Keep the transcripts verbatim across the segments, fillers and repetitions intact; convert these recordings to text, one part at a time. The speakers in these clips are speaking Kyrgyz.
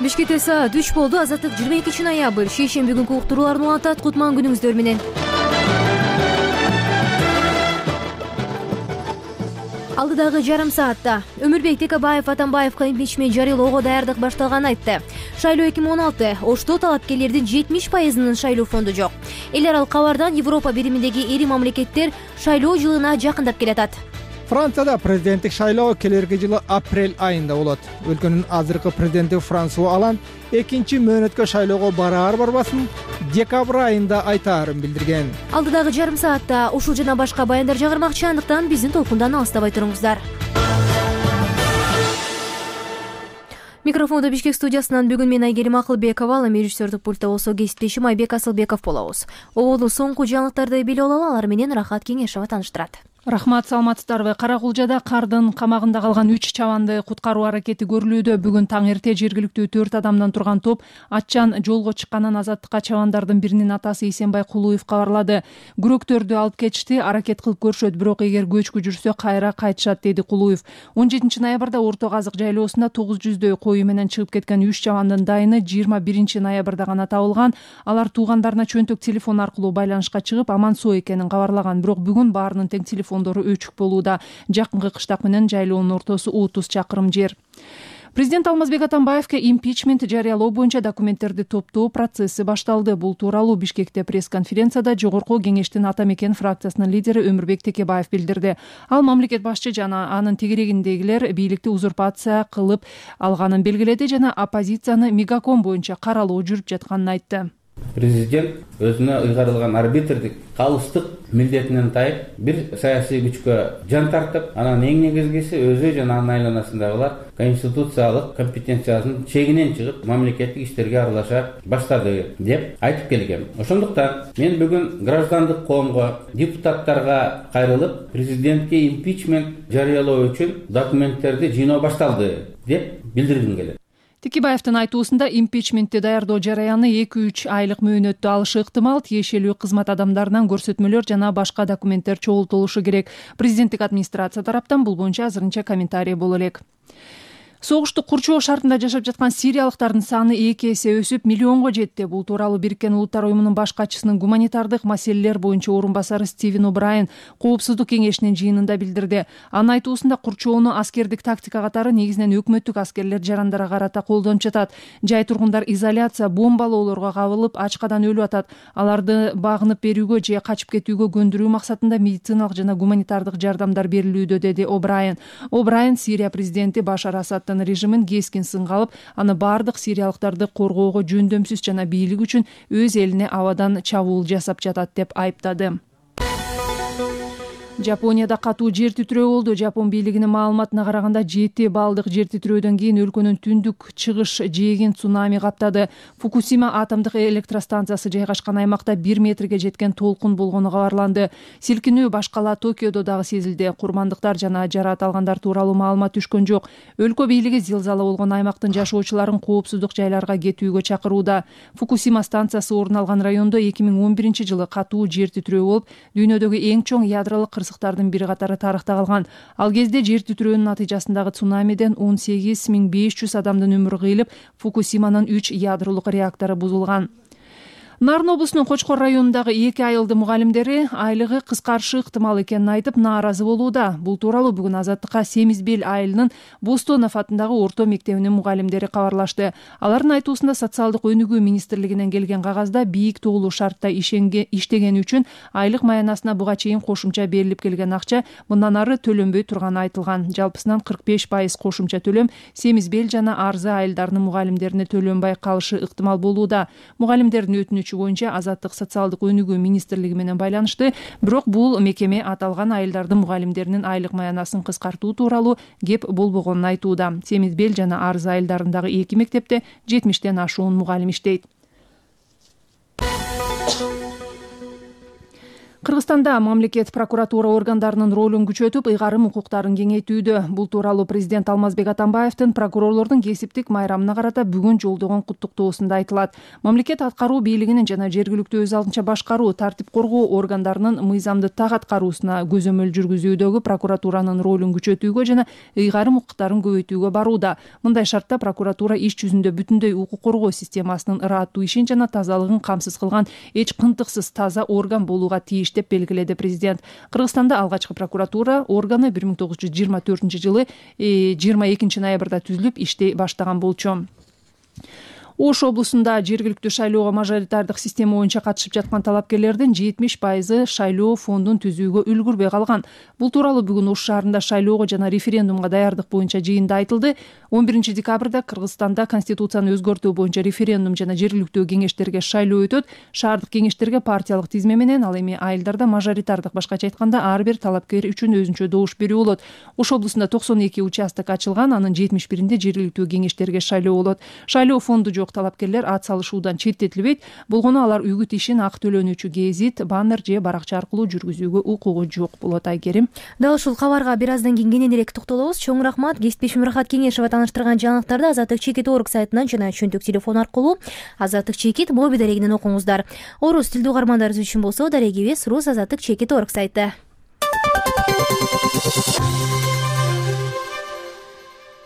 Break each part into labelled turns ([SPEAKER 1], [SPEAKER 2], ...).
[SPEAKER 1] Бишкекте саат үч болду. Азаттык жыйырма экинчи ноябрь. Шейшемби күнкү уктурууларын улантат. Кутман күнүңүздөр менен. Алдыдагы жарым саатта Өмүрбек Текебаев Атамбаевга импичмент жарыялоого даярдык башталганын айтты. Шайлоо эки миң он алты. Ошто талапкерлердин жетимиш пайызынын шайлоо фонду жок. Эл аралык кабардан Европа бириминдеги ири мамлекеттер шайлоо жылына жакындап келатат.
[SPEAKER 2] Францияда президенттик шайлоо келерки жылы апрель айында болот. Өлкөнүн азыркы президенти Франсуа Оланд экинчи мөөнөткө шайлоого бараар барбасын декабрь айында айтаарын билдирген.
[SPEAKER 1] Алдыдагы жарым саатта ушул жана башка баяндар жагырмакчы, андыктан биздин толкундан алыстабай туруңуздар. Микрофондо Бишкек студиясынан бүгүн мен Айгерим Акылбекова, ал эми режиссердик пультта болсо кесиптешим Айбек Асылбеков болобуз. Ободун соңку жаңылыктарды билип алалы, алар менен Рахат Кеңешова таныштырат.
[SPEAKER 3] Рахмат, саламатсыздарбы? Кара Кулжада кардын камагында калган үч чабанды куткаруу аракети көрүлүүдө. Бүгүн таң эрте жергиликтүү төрт адамдан турган топ аччан жолго чыкканын азаттыкка чабандардын биринин атасы Исенбай Кулуев кабарлады. Күрөктөрдү алып кетишти, аракет кылып көрүшөт, бирок эгер көчкү жүрсө кайра кайтышат, деди Кулуев. он жетинчи ноябрда Орто Казык жайлоосунда тогуз жүздөй кою менен чыгып кеткен үч чабандын дайыны жыйырма биринчи ноябрда гана табылган. Алар туугандарына чөнтөк телефон аркылуу байланышка чыгып, аман соо экенин кабарлаган, бирок бүгүн баарынын тең телефон өчүк болууда. Жакынкы кыштак менен жайлоонун ортосу отуз чакырым жер. Президент Алмазбек Атамбаевге импичмент жарыялоо боюнча документтерди топтоо процесси башталды. Бул тууралуу Бишкекте пресс-конференцияда Жогорку Кеңештин Ата Мекен фракциясынын лидери Өмүрбек Текебаев билдирди. Ал мамлекет башчы жана анын тегерегиндегилер бийликти узурпация кылып алганын белгиледи жана оппозицияны мегаком боюнча каралоо жүрүп жатканын айтты.
[SPEAKER 4] Президент өзүнө ыйгарылган арбитрдик калыстык милдетинен тайып, бир саясий күчкө жан тартып, анан эң негизгиси өзү жана анын айланасындагылар конституциялык компетенциясынын чегинен чыгып, мамлекеттик иштерге аралаша баштады деп айтып келгем. Ошондуктан мен бүгүн граждандык коомго, депутаттарга кайрылып, президентке импичмент жарыялоо үчүн документтерди жыйноо башталды деп билдиргим келет.
[SPEAKER 3] Текебаевдин айтуусунда импичментти даярдоо жараяны эки үч айлык мөөнөттө алышы ыктымал, тиешелүү кызмат адамдарынан көрсөтмөлөр жана башка документтер чогултулушу керек. Президенттик администрация тараптан бул боюнча азырынча комментарий боло элек. Согушту курчоо шартында жашап жаткан сириялыктардын саны эки эсе өсүп миллионго жетти. Бул тууралуу Бириккен Улуттар уюмунун баш катчысынын гуманитардык маселелер боюнча орун басары Стивен О'Брайен Коопсуздук кеңешинин жыйынында билдирди. Анын айтуусунда курчоону аскердик тактика катары негизинен өкмөттүк аскерлер жарандара карата колдонуп жатат. Жай тургундар изоляция, бомбалоолорго кабылып, ачкадан өлүп атат. Аларды багынып берүүгө же качып кетүүгө көндүрүү максатында медициналык жана гуманитардык жардамдар берилүүдө, деди О'Брайен. О'Брайен Сирия президенти Башар Асаддын режимин кескин сынга алып, аны бардык сириялыктарды коргоого жөндөмсүз жана бийлик үчүн өз элине абадан чабуул жасап жатат деп айыптады. Жапонияда катуу жер титирөө болду. Жапон бийлигинин маалыматына караганда жети балдык жер титирөөдөн кийин өлкөнүн түндүк чыгыш жээгин цунами каптады. Фукусима атомдук электростанциясы жайгашкан аймакта бир метрге жеткен толкун болгону кабарланды. Силкинүү башкала Токиодо дагы сезилди. Курмандыктар жана жараат алгандар тууралуу маалымат түшкөн жок. Өлкө бийлиги зилзала болгон аймактын жашоочуларын коопсуздук жайларга кетүүгө чакырууда. Фукусима станциясы орун алган райондо эки миң он биринчи жылы катуу жер титирөө болуп, дүйнөдөгү эң чоң ядролук кырсыктардын бири катары тарыхта калган. Ал кезде жер титирөөнүн натыйжасындагы цунамиден он сегиз миң беш жүз адамдын өмүрү кыйылып, Фукусиманын үч ядролук реактору бузулган. Нарын облусунун Кочкор районундагы эки айылды мугалимдери айлыгы кыскарышы ыктымал экенин айтып, нааразы болууда. Бул тууралуу бүгүн Азаттыкка Семизбел айылынын Бостонов атындагы орто мектебинин мугалимдери кабарлашты. Алардын айтуусунда социалдык өнүгүү министрлигинен келген кагазда бийик тоолуу шартта иштегени үчүн айлык маянасына буга чейин кошумча берилип келген акча мындан ары төлөнбөй турганы айтылган. Жалпысынан кырк беш пайыз кошумча төлөм Семизбел жана Арзы айылдарынын мугалимдерине төлөнбөй калышы ыктымал болууда. Мугалимдердин өтүнүчү боюнча Азаттык социалдык өнүгүү министрлиги менен байланышты, бирок бул мекеме аталган айылдардын мугалимдеринин айлык маянасын кыскартуу тууралуу кеп болбогонун айтууда. Семизбел жана Арзы айылдарындагы эки мектепте жетимиштен ашуун мугалим иштейт. Кыргызстанда мамлекет прокуратура органдарынын ролун күчөтүп, ыйгарым укуктарын кеңейтүүдө. Бул тууралуу президент Алмазбек Атамбаевдин прокурорлордун кесиптик майрамына карата бүгүн жолдогон куттуктоосунда айтылат. Мамлекет аткаруу бийлигинин жана жергиликтүү өз алдынча башкаруу, тартип коргоо органдарынын мыйзамды так аткаруусуна көзөмөл жүргүзүүдөгү прокуратуранын ролун күчөтүүгө жана ыйгарым укуктарын көбөйтүүгө барууда. Мындай шартта прокуратура иш жүзүндө бүтүндөй укук коргоо системасынын ыраттуу ишин жана тазалыгын камсыз кылган эч кынтыксыз таза орган болууга тийиш деп белгиледи президент. Кыргызстанда алгачкы прокуратура органы бир миң тогуз жүз жыйырма төртүнчү жылы жыйырма экинчи ноябрда түзүлүп иштей баштаган болчу. Ош облусунда жергиликтүү шайлоого мажоритардык система боюнча катышып жаткан талапкерлердин жетимиш пайызы шайлоо фондун түзүүгө үлгүрбөй калган. Бул тууралуу бүгүн Ош шаарында шайлоого жана референдумга даярдык боюнча жыйында айтылды. он биринчи декабрда Кыргызстанда конституцияны өзгөртүү боюнча референдум жана жергиликтүү кеңештерге шайлоо өтөт. Шаардык кеңештерге партиялык тизме менен, ал эми айылдарда мажоритардык, башкача айтканда ар бир талапкер үчүн өзүнчө добуш берүү болот. Ош облусунда токсон эки участок ачылган, анын жетимиш биринде жергиликтүү кеңештерге шайлоо болот. Шайлоо фонду жок талапкерлер ат салышуудан четтетилбейт. Болгону алар үгүт ишин ак төлөнүүчү гезит, баннер же баракча аркылуу жүргүзүүгө укугу жок болот. Айгерим.
[SPEAKER 1] Дал ушул кабарга бир аздан кийин кененирээк токтолобуз. Чоң рахмат. Кесиптешим Рахат Кеңешова тааныштырган жаңылыктарды Азаттык чекит орг сайтынан жана чөнтөк телефон аркылуу Азаттык чекит моби дарегинен окуңуздар. Орус тилдүү угармандарыбыз үчүн болсо дарегибиз рус азаттык чекит орг сайты.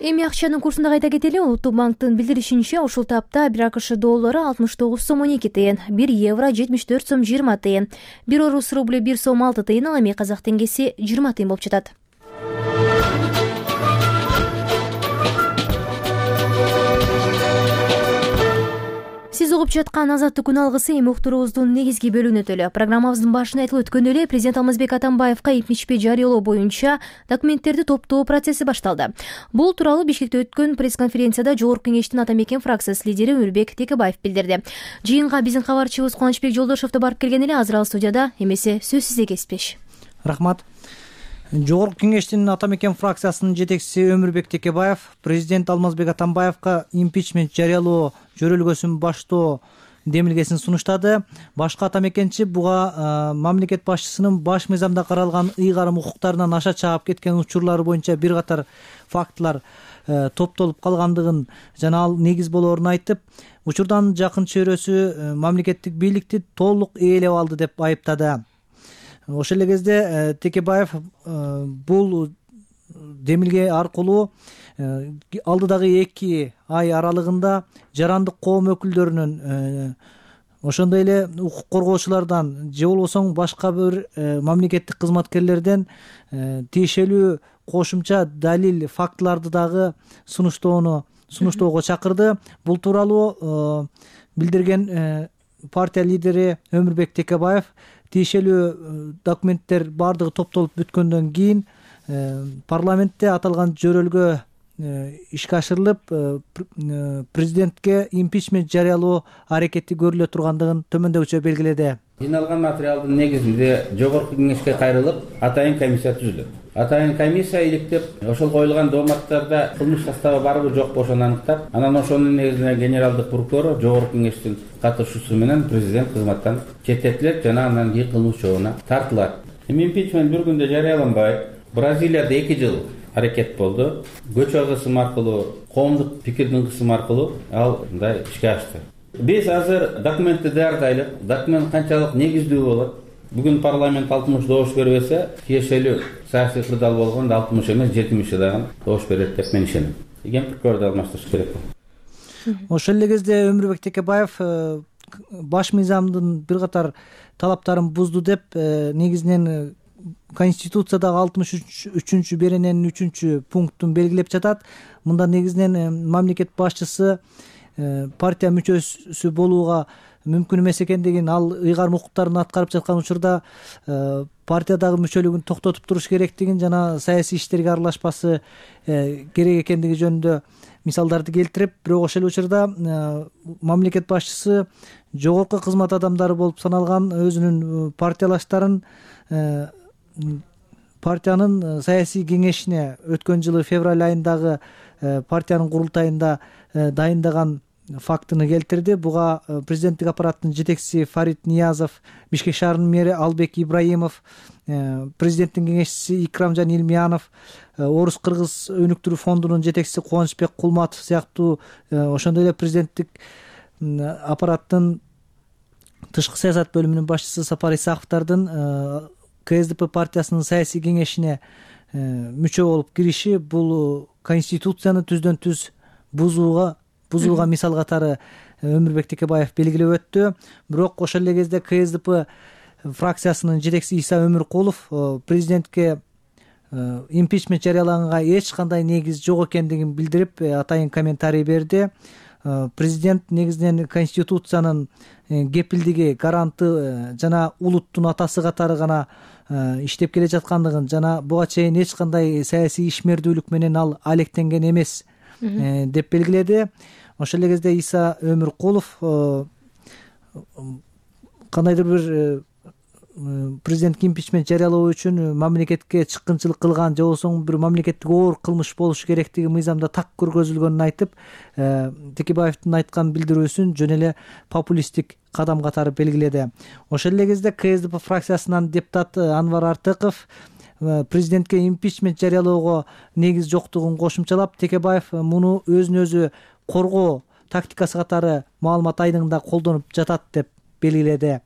[SPEAKER 1] Эми акчанын курсунда кайта кетели. Улуттук банктын билдиришинче, ушул тапта бир АКШ доллары алтымыш тогуз сом он эки тыйын, бир евро жетимиш төрт сом жыйырма тыйын, бир орус рубль бир сом алты тыйын, ал эми казак теңгеси жыйырма тыйын болуп жатат. Сиз угуп жаткан Азаттык күн алгысы эми уктуруубуздун негизги бөлүгүнө өтөлү. Программабыздын башында айтылып өткөндөй эле, президент Алмазбек Атамбаевка импичмент жарыялоо боюнча документтерди топтоо процесси башталды. Бул тууралуу Бишкекте өткөн пресс-конференцияда Жогорку Кеңештин Ата Мекен фракциясы лидери Өмүрбек Текебаев билдирди. Жыйынга биздин кабарчыбыз Кубанычбек Жолдошов да барып келген эле. Азыр ал студияда, эмесе сөз сизде кесиптеш.
[SPEAKER 5] Рахмат. Жогорку Кеңештин Ата Мекен фракциясынын жетекчиси Өмүрбек Текебаев президент Алмазбек Атамбаевка импичмент жарыялоо жөрөлгөсүн баштоо демилгесин сунуштады. Башкы ата мекенчи буга мамлекет башчысынын баш мыйзамда каралган ыйгарым укуктарынан аша чаап кеткен учурлары боюнча бир катар фактылар топтолуп калгандыгын жана ал негиз болоорун айтып, учурдан жакын чөйрөсү мамлекеттик бийликти толук ээлеп алды деп айыптады. Ошол эле кезде Текебаев бул демилге аркылуу алдыдагы эки ай аралыгында жарандык коом өкүлдөрүнүн, ошондой эле укук коргоочулардан же болбосо башка бир мамлекеттик кызматкерлерден тиешелүү кошумча далил, фактыларды дагы сунуштоону сунуштоого чакырды. Бул тууралуу билдирген партия лидери Өмүрбек Текебаев тиешелүү документтер баардыгы топтолуп бүткөндөн кийин парламентте аталган жөрөлгө ишке ашырылып, президентке импичмент жарыялоо аракети көрүлө тургандыгын төмөндөгүчө белгиледи.
[SPEAKER 4] Жиналган материалдын негизинде Жогорку Кеңешке кайрылып, атайын комиссия түзүлөт. Атайын комиссия иликтеп, ошол коюлган дооматтарда кылмыш составы барбы жокпу ошону аныктап, анан ошонун негизинде генералдык прокурор Жогорку Кеңештин катышуусу менен президент кызматтан четтетилет жана андан кийин кылмыш жообуна тартылат. Эми импичмент бир күндө жарыяланбайт. Бразилияда эки жыл аракет болду. Көчө кысым аркылуу, коомдук пикирдин кысымы аркылуу ал мындай ишке ашты. Биз азыр документти даярдайлы. Документ канчалык негиздүү болот? Бүгүн парламент алтымыш добуш бербесе, тиешелүү саясий кырдаал болгондо алтымыш эмес жетимиш дагы добуш берет деп мен ишенем. Ген прокурорду алмаштырыш керек.
[SPEAKER 5] Ошол эле кезде Өмүрбек Текебаев баш мыйзамдын бир катар талаптарын бузду деп, негизинен Конституциядагы алтымыш үчүнчү берененин үчүнчү пунктун белгилеп жатат. Мында негизинен мамлекет башчысы партия мүчөсү болууга мүмкүн эмес экендигин, ал ыйгарым укуктарын аткарып жаткан учурда партиядагы мүчөлүгүн токтотуп туруш керектигин жана саясий иштерге аралашпасы керек экендиги жөнүндө мисалдарды келтирип, бирок ошол учурда мамлекет башчысы жогорку кызмат адамдары болуп саналган өзүнүн партиялаштарын партиянын саясий кеңешине өткөн жылы февраль айындагы партиянын курултайында дайындаган фактыны келтирди. Буга президенттик аппараттын жетекчиси Фарид Ниязов, Бишкек шаарынын мэри Албек Ибраимов, президенттин кеңешчиси Икрамжан Илмиянов, Орус-Кыргыз өнүктүрүү фондунун жетекчиси Кубанычбек Кулматов сыяктуу ошондой эле президенттик аппараттын тышкы саясат бөлүмүнүн башчысы Сапар Исаковдордун КСДП партиясынын саясий кеңешине мүчө болуп кириши бул конституцияны түздөн түз бузууга бузууга мисал катары Өмүрбек Текебаев белгилеп өттү. Бирок ошол эле кезде КСДП фракциясынын жетекчиси Иса Өмүркулов президентке импичмент жарыялаганга эч кандай негиз жок экендигин билдирип атайын комментарий берди. Президент негизинен конституциянын кепилдиги, гаранты жана улуттун атасы катары гана иштеп келе жаткандыгын жана буга чейин эч кандай саясий ишмердүүлүк менен ал алектенген эмес деп белгиледи. Ошол эле кезде Иса Өмүркулов кандайдыр бир президентке импичмент жарыялоо үчүн мамлекетке чыккынчылык кылган же болбосо бир мамлекеттик оор кылмыш болушу керектиги мыйзамда так көргөзүлгөнүн айтып, Текебаевдин айткан билдирүүсүн жөн эле популисттик кадам катары белгиледи. Ошол эле кезде КСДП фракциясынан депутат Анвар Артыков президентке импичмент жарыялоого негиз жоктугун кошумчалап, Текебаев муну өзүн өзү коргоо тактикасы катары маалымат айдыңында колдонуп жатат деп белгиледи.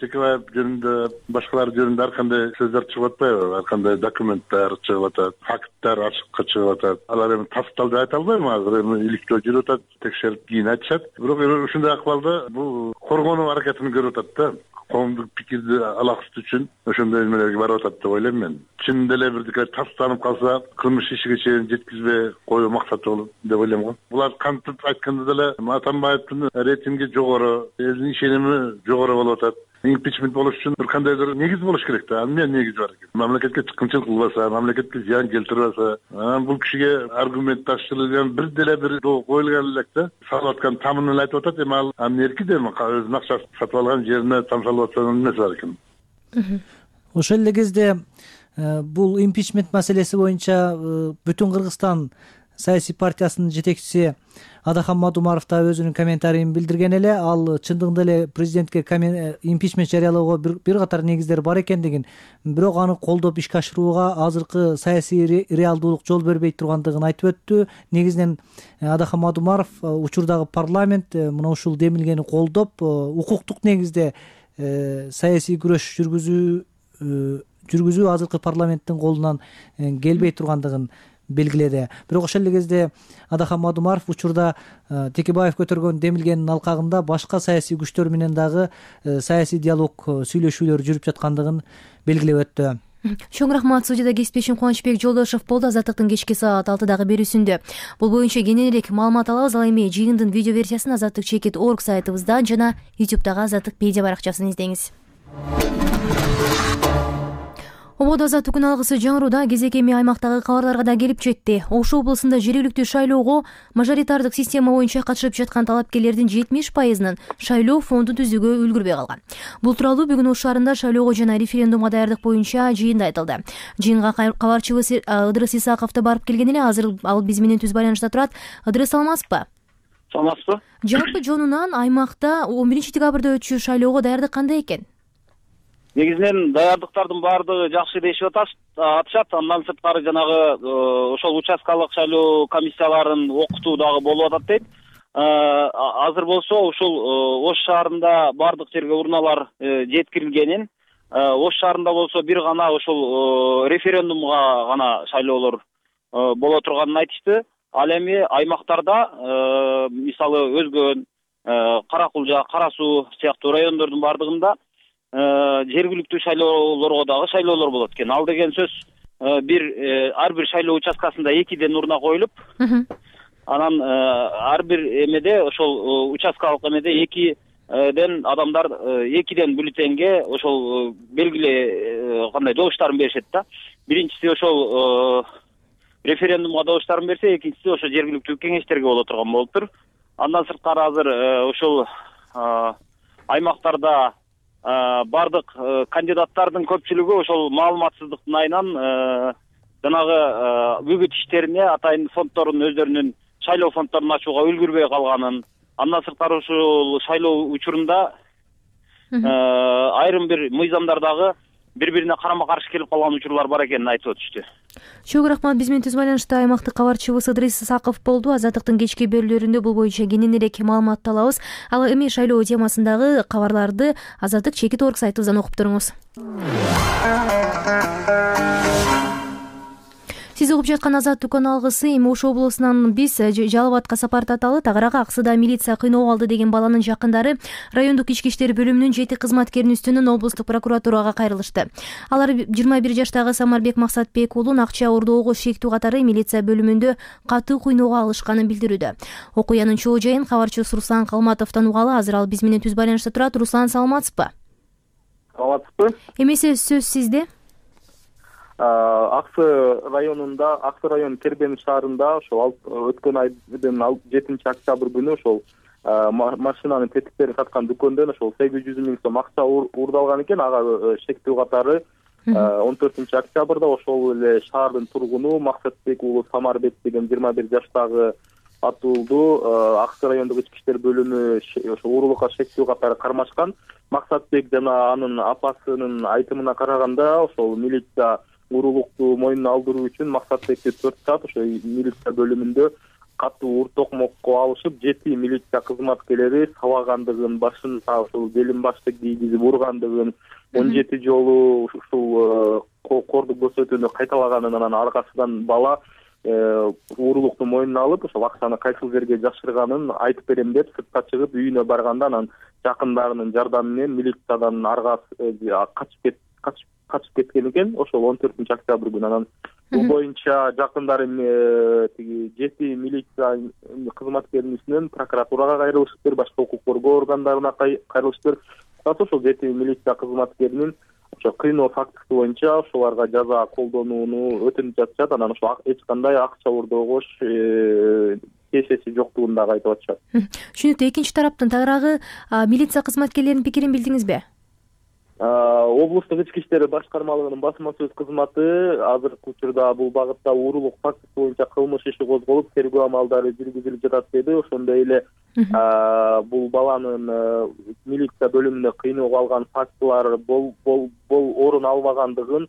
[SPEAKER 6] Текебаев жөнүндө башкалар жөнүндө ар кандай сөздөр чыгып атпайбы, ар кандай документтер чыгып атат, факттар ачыкка чыгып атат. Алар эми тасталды айта албайм, азыр эми иликтөө жүрүп атат, текшерип кийин айтышат. Бирок ушундай акыбалда бул коргонуу аракетин көрүп атат да, коомдук пикирди алаксытуу үчүн ошондой эмелерге барып атат деп ойлойм мен. Чын деле бирдике тастанып калса, кылмыш ишиге чейин жеткизбей коюу максаты болот деп ойлойм го. Булар кантип айтканда деле Атамбаевдин рейтинги жогору, элдин ишеними жогору болуп атат. Импичмент болуш үчүн бир кандайдыр негиз болуш керек да. Эмне негиз бар экен? Мамлекетке чыккынчылык кылбаса, мамлекетке зыян келтирбесе, анан бул кишиге аргументташтырылган бир деле бир коюлган элек да. Салып аткан тамынын айтып атат, эми ал анын эрки да, өзүнүн акчасын сатып алган жерине тамшалып атса эмнеси бар экен?
[SPEAKER 5] Ошол эле кезде бул импичмент маселеси боюнча Бүтүн Кыргызстан саясий партиясынын жетекчиси Адахан Мадумаров да өзүнүн комментарийин билдирген эле. Ал чындыгында эле президентке импичмент жарыялоого бир катар негиздер бар экендигин, бирок аны колдоп ишке ашырууга азыркы саясий реалдуулук жол бербей тургандыгын айтып өттү. Негизинен Адахан Мадумаров учурдагы парламент мына ушул демилгени колдоп, укуктук негизде саясий күрөш жүргүзүү жүргүзүү азыркы парламенттин колунан келбей тургандыгын белгиледи. Бирок ошол эле кезде Адахан Мадумаров учурда Текебаев көтөргөн демилгенин алкагында башка саясий күчтөр менен дагы саясий диалог, сүйлөшүүлөр жүрүп жаткандыгын белгилеп өттү.
[SPEAKER 1] Чоң рахмат. Студияда кесиптешим Кубанычбек Жолдошов болду. Азаттыктын кечки саат алтыдагы берүүсүндө бул боюнча кенен элек маалымат алабыз. Ал эми жыйындын видео версиясын азаттык чекит точка орг сайтыбыздан жана ютубтагы Азаттык медиа баракчасын издеңиз. Ободо азаттык күн алгысы жаңыруудаа кезек эми аймактагы кабарларга да келип жетти. Ош облусунда жергиликтүү шайлоого мажоритардык система боюнча катышып жаткан талапкерлердин жетимиш пайызынын шайлоо фондун түзүүгө үлгүрбөй калган. Бул тууралуу бүгүн Ош шаарында шайлоого жана референдумга даярдык боюнча жыйында айтылды. Жыйынга кабарчыбыз Ыдырыс Исаков да барып келген эле. Азыр ал биз менен түз байланышта турат. Ыдырыс, саламатсызбы?
[SPEAKER 7] Саламатсызбы.
[SPEAKER 1] Жалпы жонунан аймакта он биринчи декабрда өтчү шайлоого даярдык кандай экен?
[SPEAKER 7] Негизинен даярдыктардын баардыгы жакшы дешип атышат. Андан сырткары жанагы ошол участкалык шайлоо комиссияларын окутуу дагы болуп атат дейт. Азыр болсо ушул Ош шаарында баардык жерге урналар жеткирилгенин, Ош шаарында болсо бир гана ошол референдумга гана шайлоолор боло турганын айтышты. Ал эми аймактарда, мисалы өзгөн Кара Кулжа, Кара Суу сыяктуу райондордун баардыгында жергиликтүү шайлоолорго дагы шайлоолор болот экен. Ал деген сөз бир ар бир шайлоо участкасында экиден урна коюлуп, анан ар бир эмеде ошол участкалык эмеде экиден адамдар экиден бюллетенге ошол белгиле кандай добуштарын беришет да. Биринчиси ошол референдумга добуштарын берсе, экинчиси ошо жергиликтүү кеңештерге боло турган болуптур. Андан сырткары азыр ошол аймактарда бардык кандидаттардын көпчүлүгү ошол маалыматсыздыктын айынан жанагы үгүт иштерине атайын фонддордун өздөрүнүн шайлоо фонддорун ачууга үлгүрбөй калганын, Андан сырткары ушул шайлоо учурунда айрым бир мыйзамдар дагы бири бирине карама каршы келип калган учурлар бар экенин айтып өтүштү.
[SPEAKER 1] Чоң рахмат. Биз менен түз байланышта аймактык кабарчыбыз Ыдрис Саков болду. Азаттыктын кечки берүүлөрүндө бул боюнча кененирээк маалымат алабыз. Ал эми шайлоо темасындагы кабарларды Азаттык чекит орг сайтыбыздан окуп туруңуз. Сиз угуп жаткан Азаттык алгысы. Эми Ош облусунан биз Жалал Абадка сапар таталы. Тагырага Аксыда милиция кыйноого алды деген баланын жакындары райондук ички иштер бөлүмүнүн жети кызматкеринин үстүнөн облустук прокуратурага кайрылышты. Алар жыйырма бир жаштагы Самарбек Максатбек уулун акча ордоого шектүү катары милиция бөлүмүндө катуу кыйноого алышканын билдирүүдө. Окуянын чоо жайын кабарчыбыз Руслан Калматовдон угалы. Азыр ал биз менен түз байланышта турат. Руслан, саламатсызбы?
[SPEAKER 8] Саламатсызбы.
[SPEAKER 1] Эмесе сөз сизде.
[SPEAKER 8] Аксы районунда, Аксы район Кербен шаарында ошол өткөн айдын жетинчи октябрь күнү ошол машинанын тетиктерин саткан дүкөндөн ошол сегиз жүз миң сом акча уурдалган экен. Ага шектүү катары он төртүнчү октябрда ошол эле шаардын тургуну Максатбек уулу Самарбек деген жыйырма бир жаштагы атуулду Аксы райондук ички иштер бөлүмү ошол уурулукка шектүү катары кармашкан. Максатбек жана анын апасынын айтымына караганда ошол милиция уурулукту мойнуна алдыруу үчүн Максатбекти төрт саат ошо милиция бөлүмүндө катуу ур токмокко алышып, жети милиция кызматкерлери сабагандыгын, башын ошол белин башты кийгизип ургандыгын, он жети жолу ушул кордук көрсөтүүнү кайталаганын, анан аркасынан бала уурулукту мойнуна алып, ошол акчаны кайсыл жерге жашырганын айтып берем деп сыртка чыгып үйүнө барганда, анан жакындарынын жардамы менен милициядан арга качып качып качып кеткен экен. Ошол он төртүнчү октябрь күнү анан бул боюнча жакындары тиги жети милиция кызматкеринин үстүнөн прокуратурага кайрылышыптыр, башка укук коргоо органдарына кайрылышыптыр. Ошол жети милиция кызматкеринин ошо кыйноо фактысы боюнча ошолорго жаза колдонууну өтүнүп жатышат. Анан ошо эч кандай акча уурдоого тиешеси жоктугун дагы айтып атышат.
[SPEAKER 1] Түшүнүктүү. Экинчи тараптын тагыраагы милиция кызматкерлеринин пикирин билдиңизби?
[SPEAKER 8] Облустук ички иштер башкармалыгынын басма сөз кызматы азыркы учурда бул багытта уурулук фактысы боюнча кылмыш иши козголуп, тергөө амалдары жүргүзүлүп жатат деди. Ошондой эле бул баланын милиция бөлүмүндө кыйноого алган фактылар бол орун албагандыгын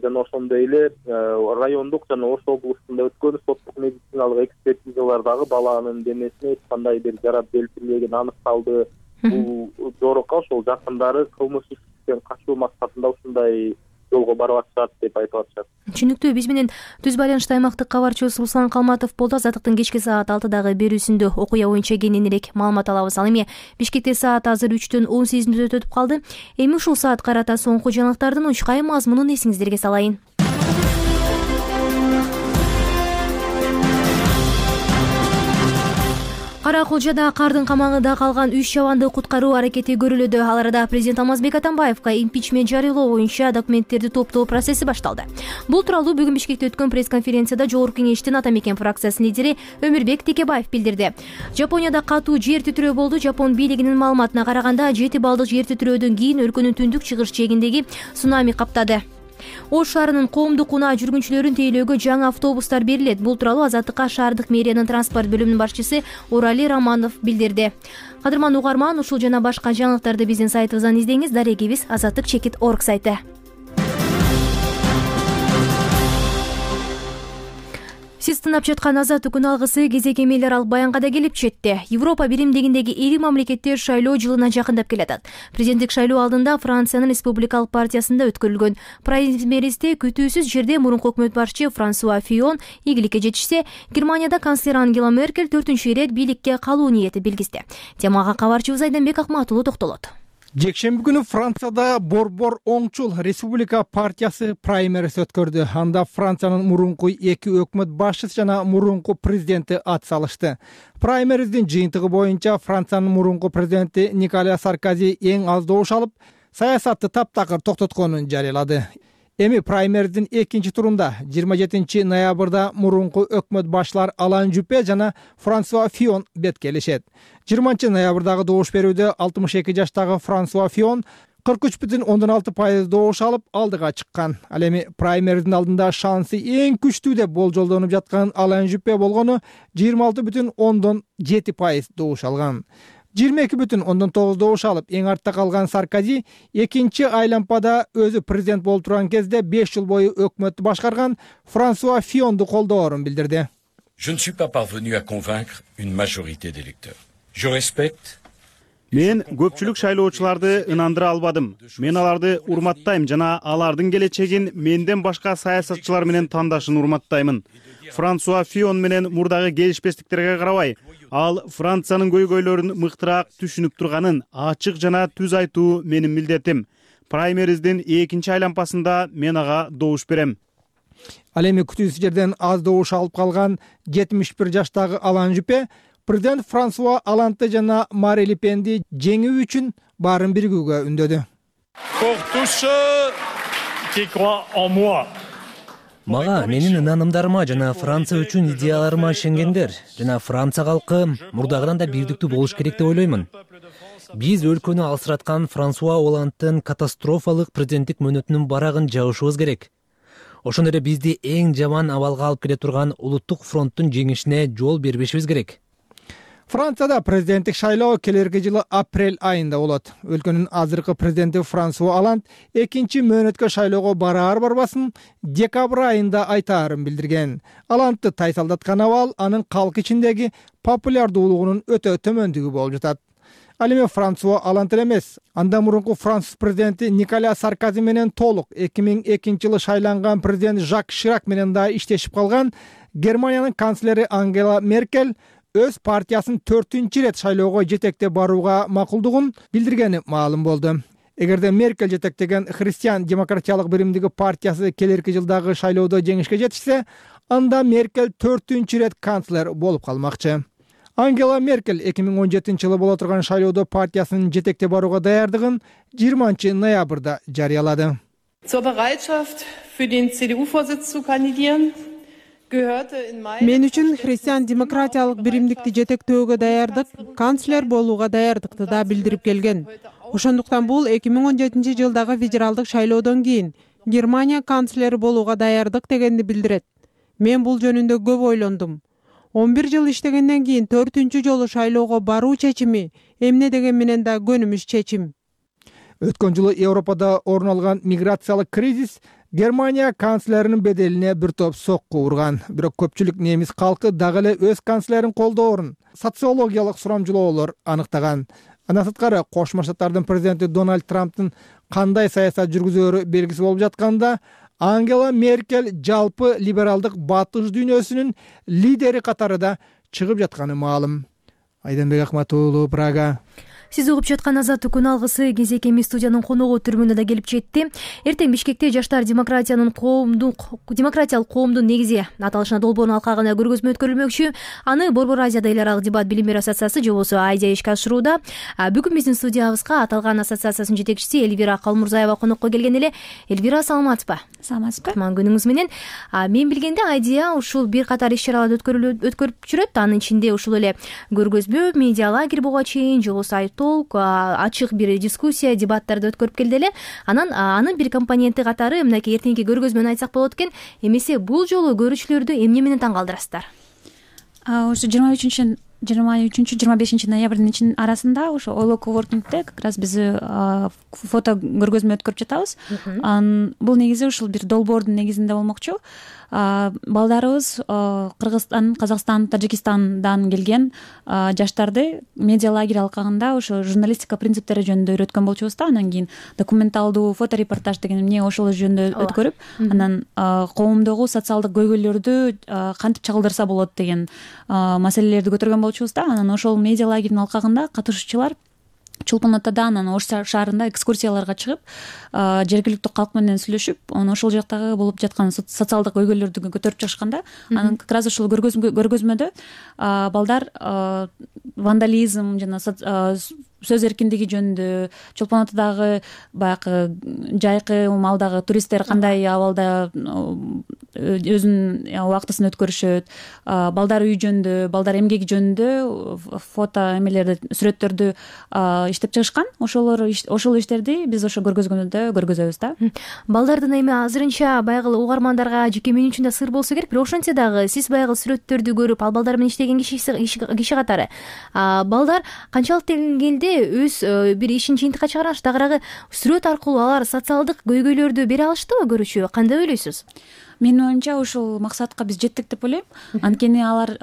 [SPEAKER 8] жана ошондой эле райондук жана Ош облустунда өткөн соттук медициналык экспертизалардагы баланын денесине эч кандай бир жарат келтирилбегени аныкталды. Бул жорукка ошол жакындары кылмыш иштен качуу максатында ушундай жолго барып атышат деп айтып атышат.
[SPEAKER 1] Түшүнүктүү. Биз менен түз байланышта аймактык кабарчыбыз Руслан Калматов болду. Азаттыктын кечки саат алтыдагы берүүсүндө окуя боюнча кененирээк маалымат алабыз. Ал эми Бишкекте саат азыр үчтөн он сегиз мүнөт өтүп калды. Эми ушул саат карата соңку жаңылыктардын учкай мазмунун эсиңиздерге салайын. Кара Кулжада кардын камагында калган үч чабанды куткаруу аракети көрүлүүдө. Ал арада президент Алмазбек Атамбаевка импичмент жарыялоо боюнча документтерди топтоо процесси башталды. Бул тууралуу бүгүн Бишкекте өткөн пресс-конференцияда Жогорку кеңештин Ата Мекен фракциясынын лидери Өмүрбек Текебаев билдирди. Жапонияда катуу жер титирөө болду. Жапон бийлигинин маалыматына караганда жети балдык жер титирөөдөн кийин өлкөнүн түндүк чыгыш жээгиндеги цунами каптады. Ош шаарынын коомдук унаа жүргүнчүлөрүн тейлөөгө жаңы автобустар берилет. Бул тууралуу Азаттыкка шаардык мэриянын транспорт бөлүмүнүн башчысы Урали Романов билдирди. Кадырман угарман, ушул жана башка жаңылыктарды биздин сайтыбыздан издеңиз. Дарегибиз азаттык чекит орг сайты. Сиз тыңдап жаткан Азаттык күн алгысы кезек эмелер алып баянга да келип жетти. Европа биримдигиндеги ири мамлекеттер шайлоо жылына жакындап келатат. Президенттик шайлоо алдында Франциянын республикалык партиясында өткөрүлгөн праймеристе күтүүсүз жерде мурунку өкмөт башчы Франсуа Фион ийгиликке жетишсе, Германияда канцлер Ангела Меркель төртүнчү ирет бийликке калуу ниети билгизди. Темага кабарчыбыз Айданбек Акматулу токтолот.
[SPEAKER 2] Жекшемби күнү Францияда Борбор оңчул республика партиясы праймерис өткөрдү. Анда Франциянын мурунку эки өкмөт башчысы жана мурунку президенти ат салышты. Праймериздин жыйынтыгы боюнча Франциянын мурунку президенти Николя Саркози эң аз добуш алып, саясатты таптакыр токтотконун жарыялады. Эми праймериздин экинчи турунда жыйырма жетинчи ноябрда мурунку өкмөт башчылар Алан Жупе жана Франсуа Фион бет келишет. жыйырманчы ноябрдагы добуш берүүдө алтымыш эки жаштагы Франсуа Фион кырк үч бүтүн ондон алты пайыз добуш алып алдыга чыккан. Ал эми праймериздин алдында шансы эң күчтүү деп болжолдонуп жаткан Алан Жюпе болгону жыйырма алты бүтүн ондон жети пайыз добуш алган. жыйырма эки бүтүн ондон тогуз добуш алып эң артта калган Саркози экинчи айлампада өзү президент болуп турган кезде беш жыл бою өкмөттү башкарган Франсуа Фионду колдоорун билдирди.
[SPEAKER 9] Je ne suis pas parvenu à convaincre une majorité d'électeurs. Je respecte.
[SPEAKER 10] Мен көпчүлүк шайлоочуларды ынандыра албадым. Мен аларды урматтайм жана алардын келечегин менден башка саясатчылар менен тандашын урматтаймын. Франсуа Фион менен мурдагы келишпестиктерге карабай, ал Франциянын көйгөйлөрүн мыктыраак түшүнүп турганын ачык жана түз айтуу менин милдетим. Праймериздин экинчи айлампасында мен ага добуш берем.
[SPEAKER 2] Ал эми күтүүсүз жерден аз добуш алып калган жетимиш бир жаштагы Алан Жюпе президент Франсуа Олландты жана Мари Ле Пенди жеңүү үчүн баарын биригүүгө үндөдү.
[SPEAKER 11] Мага менин ынанымдарыма жана Франция үчүн идеяларыма ишенгендер жана Франция калкы мурдагыдан да бирдиктүү болуш керек деп ойлоймун. Биз өлкөнү алсыраткан Франсуа Олландтын катастрофалык президенттик мөөнөтүнүн барагын жабышыбыз керек. Ошондо эле бизди эң жаман абалга алып келе турган улуттук фронттун жеңишине жол бербешибиз керек.
[SPEAKER 2] Францияда президенттик шайлоо келерки жылы апрель айында болот. Өлкөнүн азыркы президенти Франсуа Олланд экинчи мөөнөткө шайлоого бараар барбасын декабрь айында айтаарын билдирген. Олландты тайсалдаткан абал анын калк ичиндеги популярдуулугунун өтө төмөндүгү болуп жатат. Ал эми Франсуа Олланд эмес, андан мурунку француз президенти Николя Саркози менен толук эки миң экинчи жылы шайланган президент Жак Ширак менен да иштешип калган Германиянын канцлери Ангела Меркель өз партиясын төртүнчү ирет шайлоого жетектеп барууга макулдугун билдиргени маалым болду. Эгерде Меркель жетектеген Христиан демократиялык биримдиги партиясы келерки жылдагы шайлоодо жеңишке жетишсе, анда Меркель төртүнчү ирет канцлер болуп калмакчы. Ангела Меркель эки миң он жетинчи жылы боло турган шайлоодо партиясын жетектеп барууга даярдыгын жыйырманчы ноябрда жарыялады.
[SPEAKER 12] Zur Bereitschaft für den C D U-Vorsitz zu kandidieren
[SPEAKER 13] Мен үчүн христиан демократиялык биримдикти жетектөөгө даярдык, канцлер болууга даярдыкты да билдирип келген. Ошондуктан бул эки миң он жетинчи жылдагы федералдык шайлоодон кийин Германия канцлери болууга даярдык дегенди билдирет. Мен бул жөнүндө көп ойлондум. он бир жыл иштегенден кийин төртүнчү жолу шайлоого баруу чечими эмне деген менен да көнүмүш чечим.
[SPEAKER 2] Өткөн жылы Европада орун алган миграциялык кризис Германия канцлеринин беделине бир топ сокку урган. Бирок көпчүлүк немис калкы дагы эле өз канцлерин колдоорун социологиялык сурамжылоолор аныктаган. Андан сырткары Кошмо Штаттардын президенти Дональд Трамптын кандай саясат жүргүзөөрү белгисиз болуп жатканда, Ангела Меркель жалпы либералдык батыш дүйнөсүнүн лидери катарында чыгып жатканы маалым. Айданбек Акмат уулу, Прага.
[SPEAKER 1] Сиз угуп жаткан Азаттык күн алгысы кезекеми студиянын коногу түрмүнө да келип жетти. Эртең Бишкекте жаштар демократиянын коомдук демократиялык коомдун негизи аталышына долбоордун алкагына көргөзмө өткөрүлмөкчү. Аны Борбор Азияда эл аралык дебат билим берүү ассоциациясы же болбосо Айдия ишке ашырууда. Бүгүн биздин студиябызга аталган ассоциациянын жетекчиси Эльвира Калмурзаева конокко келген эле. Эльвира, саламатсызбы?
[SPEAKER 14] Саламатсызбы.
[SPEAKER 1] Кутман күнүңүз менен. Мен билгенде Айдия ушул бир катар иш-чараларды өткөрүп жүрөт. Анын ичинде ушул эле көргөзмө, медиа лагерь буга чейин же болбосо толк ачык бир дискуссия, дебаттарды өткөрүп келди эле. Анан анын бир компоненти катары мынакей эртеңки көргөзмөнү айтсак болот экен. Эмесе бул жолу көрүүчүлөрдү эмне менен таң калтырасыздар?
[SPEAKER 14] Ошо жыйырма үчүнчү жыйырма үчүнчү жыйырма бешинчи ноябрдын ичин арасында ошо Ойло коворкингде как раз биз фото көргөзмө өткөрүп жатабыз. Бул негизи ушул бир долбоордун негизинде болмокчу. Балдарыбыз Кыргызстан, Казакстан, Тажикстандан келген жаштарды медиа лагерь алкагында ошо журналистика принциптери жөнүндө үйрөткөн болчубуз да. Анан кийин документалдуу фоторепортаж деген эмне ошол жөнүндө өткөрүп, анан коомдогу социалдык көйгөйлөрдү кантип чагылдырса болот деген маселелерди көтөргөн болчубуз да. Анан ошол медиа лагердин алкагында катышуучулар Чулпан Атада анан Ош шаарында экскурсияларга чыгып, жергиликтүү калк менен сүйлөшүп, анан ошол жактагы болуп жаткан социалдык көйгөйлөрдү көтөрүп чыгышканда, анан как раз ушул көргөзмөдө балдар вандализм жана сөз эркиндиги жөнүндө, Чулпан Атадагы баягы жайкы маалдагы туристтер кандай абалда өзүнүн убактысын өткөрүшөт, балдар үй жөнүндө, балдар эмгеги жөнүндө фото эмелерди, сүрөттөрдү иштеп чыгышкан. Ошолор ошол иштерди биз ошо көргөзгөндө көргөзөбүз да.
[SPEAKER 1] Балдардын эми азырынча баягы угармандарга жеке менин үчүн да сыр болсо керек, бирок ошентсе дагы сиз баягы сүрөттөрдү көрүп, ал балдар менен иштеген киши киши катары балдар канчалык деңгээлде өз бир ишин жыйынтыкка чыгарган, тагыраагы сүрөт аркылуу алар социалдык көйгөйлөрдү бере алыштыбы көрүүчүгө? Кандай ойлойсуз?
[SPEAKER 14] Менин оюмча ушул максатка биз жеттик деп ойлойм. Анткени алар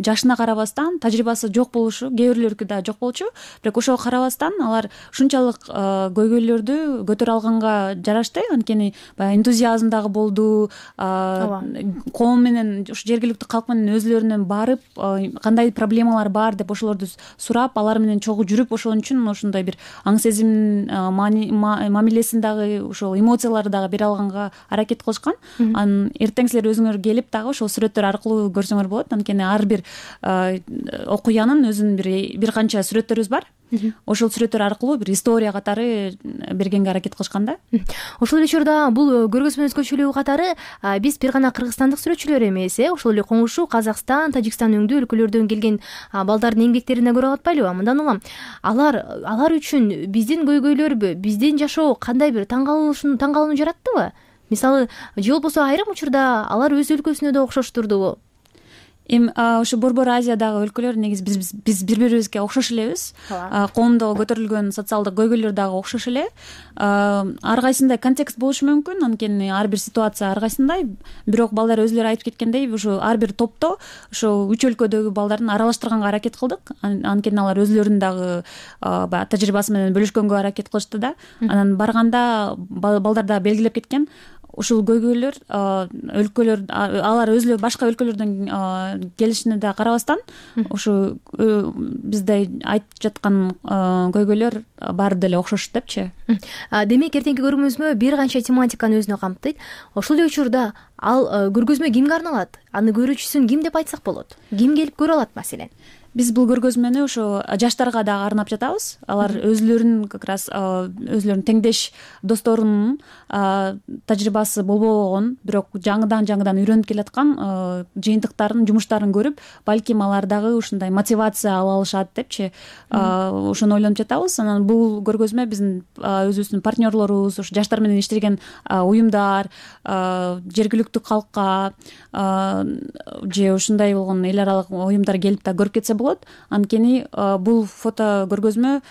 [SPEAKER 14] жашына карабастан, тажрыйбасы жок болушу, кээ бирлөрүкү да жок болчу, бирок ошого карабастан алар ушунчалык көйгөйлөрдү көтөрө алганга жарашты. Анткени баягы энтузиазм дагы болду. Коом менен, ушу жергиликтүү калк менен өзлөрүнөн барып, кандай проблемалар бар деп ошолорду сурап, алар менен чогуу жүрүп, ошон үчүн ошондой бир аң сезим мамилесин дагы, ошол эмоцияларды дагы бере алганга аракет кылышкан. Эртең силер өзүңөр келип дагы ошол сүрөттөр аркылуу көрсөңөр болот. Анткени ар бир окуянын өзүнүн бир бир канча сүрөттөрүбүз бар. Ошол сүрөттөр аркылуу бир история катары бергенге аракет кылышкан да.
[SPEAKER 1] Ошол эле учурда бул көргөзмө өзгөчөлүгү катары биз бир гана кыргызстандык сүрөтчүлөр эмес, э ошол эле коңшу Казакстан, Тажикстан өңдүү өлкөлөрдөн келген балдардын эмгектерин да көрүп атпайлыбы? Мындан улам алар алар үчүн биздин көйгөйлөрбү, биздин жашоо кандай бир таң калууну жараттыбы? Мисалы, же болбосо айрым учурда алар өз өлкөсүнө да окшоштурдубу?
[SPEAKER 14] Эми ошо Борбор Азиядагы өлкөлөр негизи биз биз бир бирибизге окшош элебиз. Коомдо көтөрүлгөн социалдык көйгөйлөр дагы окшош эле. Ар кайсындай контекст болушу мүмкүн, анткени ар бир ситуация ар кайсындай. Бирок балдар өзүлөрү айтып кеткендей, ушу ар бир топто ошо үч өлкөдөгү балдарын аралаштырганга аракет кылдык. Анткени алар өзүлөрүнүн дагы баягы тажрыйбасы менен бөлүшкөнгө аракет кылышты да. Анан барганда балдар дагы белгилеп кеткен. Ушул көйгөйлөр өлкөлөр, алар өзүлөрү башка өлкөлөрдөн келишине да карабастан, ушу бизде айтып жаткан көйгөйлөр баары деле окшош депчи.
[SPEAKER 1] Демек, эртеңки көргөзмө бир канча тематиканы өзүнө камтыйт. Ошол эле учурда ал көргөзмө кимге арналат? Аны көрүүчүсүн ким деп айтсак болот? Ким келип көрө алат маселен?
[SPEAKER 14] Биз бул көргөзмөнү ошо жаштарга дагы арнап жатабыз. Алар өзлөрүнүн как раз өзлөрүнүн теңдеш досторунун тажрыйбасы болбогон, бирок жаңыдан жаңыдан үйрөнүп келаткан жыйынтыктарын, жумуштарын көрүп, балким алар дагы ушундай мотивация ала алышат депчи. Ошону ойлонуп жатабыз. Анан бул көргөзмө биздин өзүбүздүн партнерлорубуз, ушу жаштар менен иштеген уюмдар, жергиликтүү калкка же ушундай болгон эл аралык уюмдар келип да көрүп кетсе болот. Анткени бул фото көргөзмө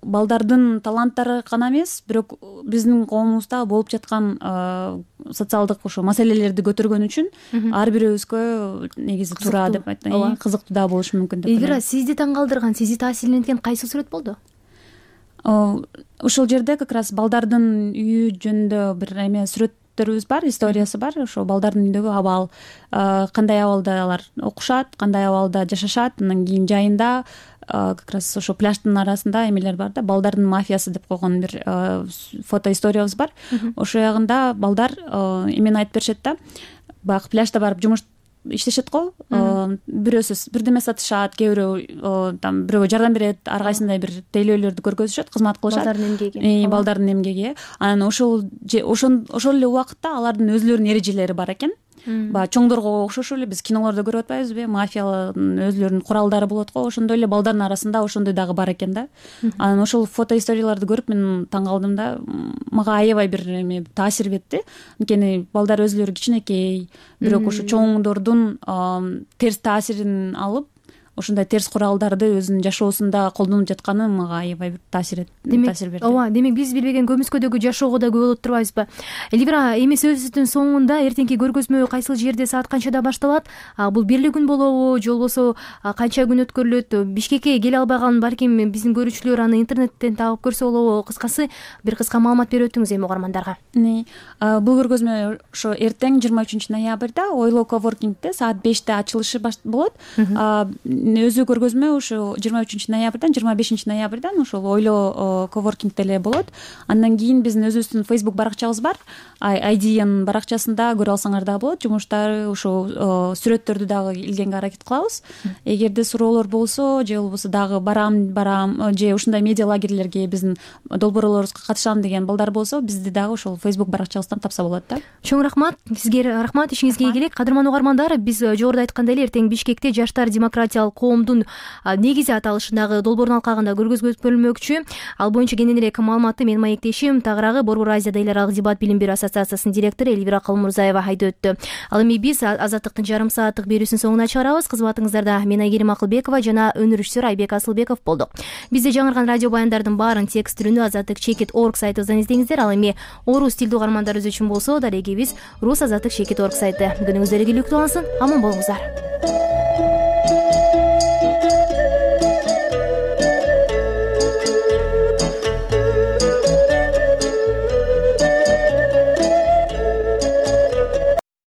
[SPEAKER 14] балдардын таланттары гана эмес, бирок биздин коомубузда болуп жаткан социалдык ошо маселелерди көтөргөн үчүн ар бирибизге негизи туура деп айтайын, кызыктуу да болушу мүмкүн деп ойлойм.
[SPEAKER 1] Элвира, сизди таң калтырган, сизди таасирленткен кайсы сүрөт болду?
[SPEAKER 14] Ошол жерде как раз балдардын үйү жөнүндө бир эме сүрөттөрүбүз бар, историясы бар. Ошо балдардын үйүндөгү абал, кандай абалда алар окушат, кандай абалда жашашат, анан кийин жайында как раз ошо пляждын арасында эмелер бар да, балдардын мафиясы деп койгон бир фото историябыз бар. Ошол ягында балдар эмени айтып беришет да, баягы пляжда барып жумуш иштешет го, бирөөсү бирдеме сатышат, кээ бирөө там бирөөгө жардам берет, ар кайсындай бир тейлөөлөрдү көргөзүшөт, кызмат кылышат.
[SPEAKER 1] Балдардын эмгеги.
[SPEAKER 14] Балдардын эмгеги. Анан ошол ошол эле убакытта алардын өзлөрүнүн эрежелери бар экен. Баягы чоңдорго окшош эле биз кинолордо көрүп атпайбызбы, мафиялардын өзлөрүнүн куралдары болот го, ошондой эле балдардын арасында ошондой дагы бар экен да. Анан ошол фото историяларды көрүп мен таң калдым да, мага аябай бир эме таасир берди. Анткени балдар өзлөрү кичинекей, бирок ошо чоңдордун терс таасирин алып, ошондой терс куралдарды өзүнүн жашоосунда колдонуп жатканы мага аябай бир таасир берди.
[SPEAKER 1] Ооба, демек биз билбеген көмүскөдөгү жашоого да күбө болуп турбайбызбы? Элвира, эми сөзүбүздүн соңунда эртеңки көргөзмө кайсыл жерде, саат канчада башталат? Бул бирли күн болобу, же болбосо канча күн өткөрүлөт? Бишкекке келе албаган балким биздин көрүүчүлөр аны интернеттен табып көрсө болобу? Кыскасы бир кыска маалымат берип өтүңүз эми угармандарга.
[SPEAKER 14] Бул көргөзмө ошо эртең жыйырма үчүнчү ноябрда Ойлоо коворкингде саат беште ачылышы болот. өзү көргөзмө ушу жыйырма үчүнчү ноябрдан жыйырма бешинчи ноябрдан ошол ойло коворкингде эле болот. Андан кийин биздин өзүбүздүн Facebook баракчабыз бар. ай ди эн баракчасында көрө алсаңар дагы болот. Жумуштары ушул сүрөттөрдү дагы илгенге аракет кылабыз. Эгерде суроолор болсо же болбосо дагы барам барам же ушундай медиа лагерлерге биздин долбоорлорубузга катышам деген балдар болсо, бизди дагы ушул Facebook баракчабыздан тапса болот да.
[SPEAKER 1] Чоң рахмат. Сизге рахмат, ишиңизге ийгилик. Кадырман угармандар, биз жогоруда айткандай эле эртең Бишкекте Жаштар демократиялык коомдун негизи аталышындагы долбоордун алкагында көргөзмө өткөрүлмөкчү. Ал боюнча кененирээк маалыматты менин маектешим Тагыраагы Борбор Азияда эл аралык дебат билим берүү ассоциациясынын директору Элвира Калмурзаева айтып өттү. Ал эми биз Азаттыктын жарым сааттык берүүсүнүн соңуна чыгарабыз. Кызматыңыздарда мен Айгерим Акылбекова жана өнүрүшчүсү Айбек Асылбеков болдук. Бизде жаңырган радио баяндардын баарын текст түрүндө азаттык чекит точка орг сайтыбыздан издеңиздер. Ал эми орус тилдүү угармандарыбыз үчүн болсо, дарегибиз рус азаттык чекит точка орг сайты. Күнүңүздөр ийгиликтүү болсун. Аман болуңуздар.